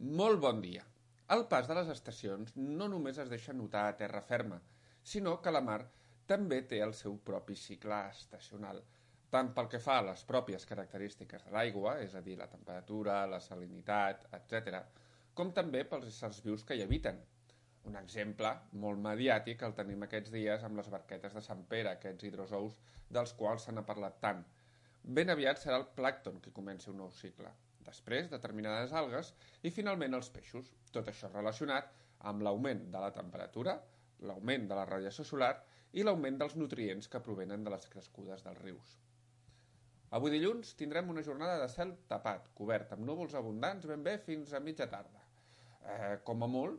Molt bon dia. El pas de les estacions no només es deixa notar a terra ferma, sinó que la mar també té el seu propi cicle estacional, tant pel que fa a les pròpies característiques de l'aigua, és a dir, la temperatura, la salinitat, etc., com també pels éssers vius que hi habiten. Un exemple molt mediàtic el tenim aquests dies amb les barquetes de Sant Pere, aquests hidrozous dels quals se n'ha parlat tant. Ben aviat serà el plàncton qui comenci un nou cicle. Després, determinades algues i finalment els peixos. Tot això relacionat amb l'augment de la temperatura, l'augment de la radiació solar i l'augment dels nutrients que provenen de les crescudes dels rius. Avui dilluns tindrem una jornada de cel tapat, cobert amb núvols abundants ben bé fins a mitja tarda. Com a molt,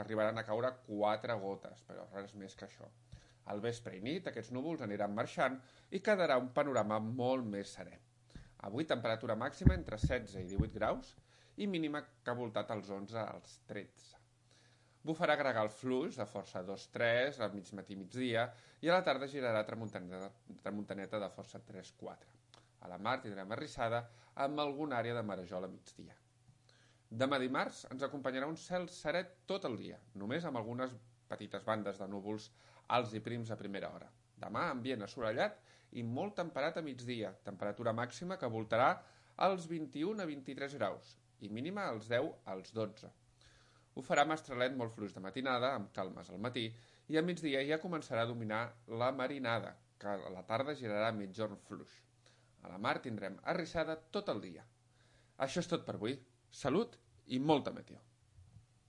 arribaran a caure 4 gotes, però res més que això. Al vespre i nit aquests núvols aniran marxant i quedarà un panorama molt més serè. Avui temperatura màxima entre 16 i 18 graus i mínima que ha voltat als 11 als 13. Bufarà gregal fluix de força 2-3 al mig matí migdia i a la tarda girarà tramuntaneta de força 3-4. A la mar tindrem arrissada amb alguna àrea de marejol a migdia. Demà dimarts ens acompanyarà un cel serè tot el dia, només amb algunes petites bandes de núvols alts i prims a primera hora. Demà ambient assolellat i molt temperat a migdia, temperatura màxima que voltarà als 21 a 23 graus i mínima als 10 als 12. Ho farà mestralet molt fluix de matinada, amb calmes al matí, i a migdia ja començarà a dominar la marinada, que a la tarda girarà mitjorn fluix. A la mar tindrem arrissada tot el dia. Això és tot per avui. Salut i molta meteor.